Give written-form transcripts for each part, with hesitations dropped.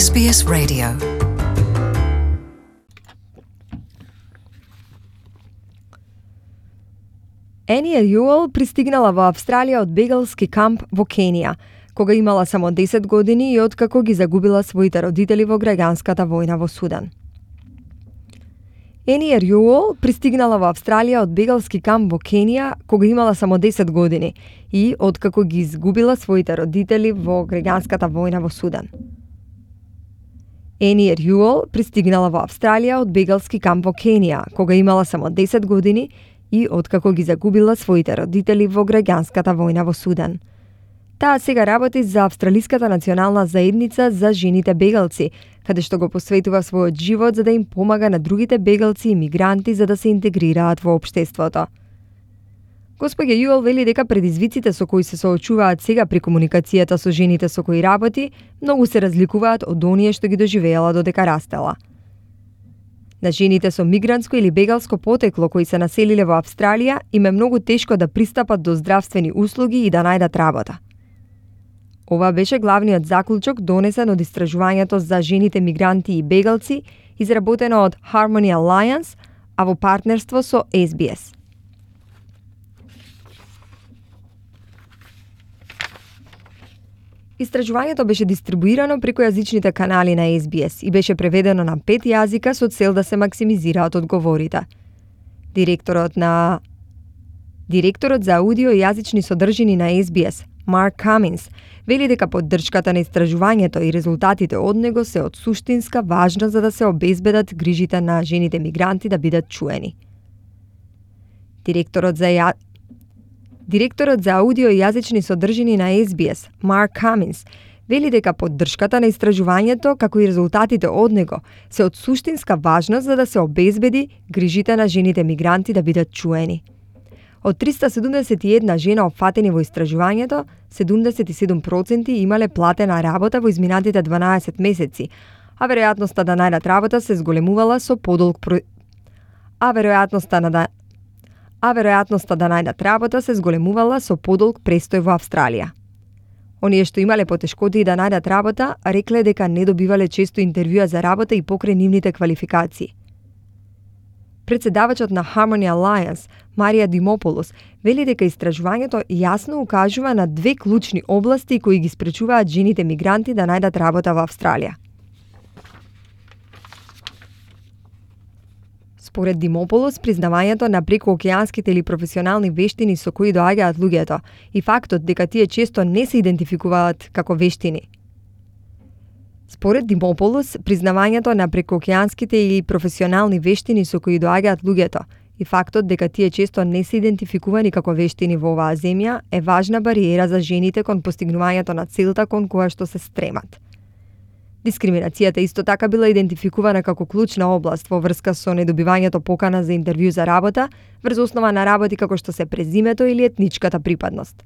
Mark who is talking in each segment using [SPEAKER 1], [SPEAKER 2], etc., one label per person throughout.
[SPEAKER 1] SBS Radio. Ени Юел пристигнала во Австралија од бегалски камп во Кенија, кога имала само 10 години и откако ги загубила своите родители во граѓанската војна во Судан. Ени Юел пристигнала во Австралија од бегалски камп во Кенија кога имала само 10 години и откако ги изгубила своите родители во граѓанската војна во Судан. Ени Юел пристигнала во Австралија од бегалски камп во Кенија кога имала само 10 години и откако ги загубила своите родители во граѓанската војна во Судан. Таа сега работи за Австралиската национална заедница за жените бегалци, каде што го посветува својот живот за да им помага на другите бегалци и мигранти за да се интегрираат во општеството. Господја Юел вели дека предизвиците со кои се соочуваат сега при комуникацијата со жените со кои работи многу се разликуваат од оние што ги доживеела додека растела. На жените со мигрантско или бегалско потекло кои се населиле во Австралија им е многу тешко да пристапат до здравствени услуги и да најдат работа. Ова беше главниот заклучок донесен од истражувањето за жените мигранти и бегалци, изработено од Harmony Alliance, а во партнерство со SBS. Истражувањето беше дистрибуирано преку јазичните канали на SBS и беше преведено на 5 јазика со цел да се максимизираат одговорите. Директорот за аудио и јазични содржини на SBS, Марк Каминс, вели дека поддршката на истражувањето и резултатите од него се од суштинска важност за да се обезбедат грижите на жените мигранти да бидат чуени. Директорот за аудио и јазични содржини на SBS, Марк Каминс, вели дека поддршката на истражувањето, како и резултатите од него, се од суштинска важност за да се обезбеди грижите на жените мигранти да бидат чуени. Од 371 жена опфатени во истражувањето, 77% имале платена работа во изминатите 12 месеци, а веројатноста да најдат работа се зголемувала со подолг престој во Австралија. Оние што имале потешкоти да најдат работа, рекле дека не добивале често интервјуа за работа и покрај нивните квалификации. Председавачот на Harmony Alliance, Марија Димополос, вели дека истражувањето јасно укажува на 2 клучни области кои ги спречуваат жените мигранти да најдат работа во Австралија. Според Димополос, признавањето на прекуокеанските или професионални вештини со кои доаѓаат луѓето и фактот дека тие често не се идентификуваат како вештини. Според Димополос, признавањето на прекуокеанските или професионални вештини со кои доаѓаат луѓето и фактот дека тие често не се идентификувани како вештини во оваа земја е важна бариера за жените кон постигнувањето на целта кон која што се стремат. Дискриминацијата исто така била идентификувана како клучна област во врска со недобивањето покана за интервју за работа врз основа на работи како што се презимето или етничката припадност.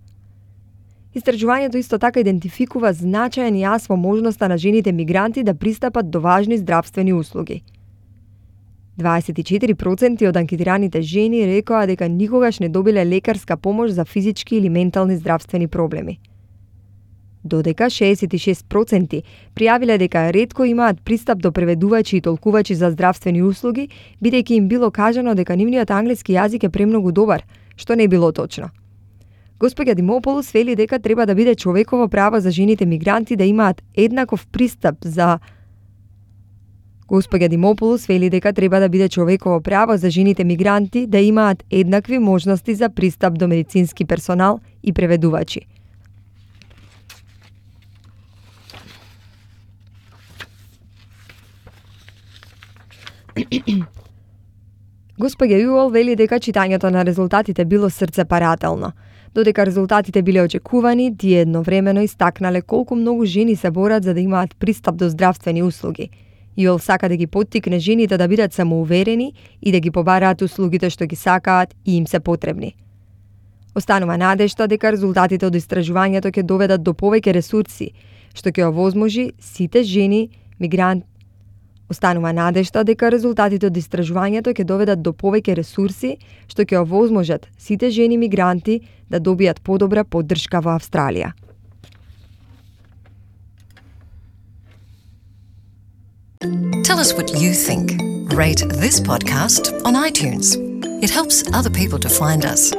[SPEAKER 1] Истражувањето исто така идентификува значаен јас во можноста на жените мигранти да пристапат до важни здравствени услуги. 24% од анкетираните жени рекоа дека никогаш не добиле лекарска помош за физички или ментални здравствени проблеми. Додека 66% пријавиле дека ретко имаат пристап до преведувачи и толкувачи за здравствени услуги, бидејќи им било кажано дека нивниот англиски јазик е премногу добар, што не било точно. Господја Димополос вели дека треба да биде човеково право за жените мигранти да имаат еднаков пристап за еднакви можности за пристап до медицински персонал и преведувачи. Господја Юел вели дека читањето на резултатите било срцепарателно. Додека резултатите биле очекувани, тие едновремено истакнале колку многу жени се борат за да имаат пристап до здравствени услуги. Юел сака да ги поттикне жените да бидат самоуверени и да ги побараат услугите што ги сакаат и им се потребни. Останува надежда дека резултатите од истражувањето ќе доведат до повеќе ресурси, што ќе овозможи сите жени мигранти Останува надежда дека резултатите од истражувањето ќе доведат до повеќе ресурси, што ќе овозможат сите жени мигранти да добијат подобра поддршка во Австралија.
[SPEAKER 2] Tell us what you think. Rate this podcast on iTunes. It helps other people to find us.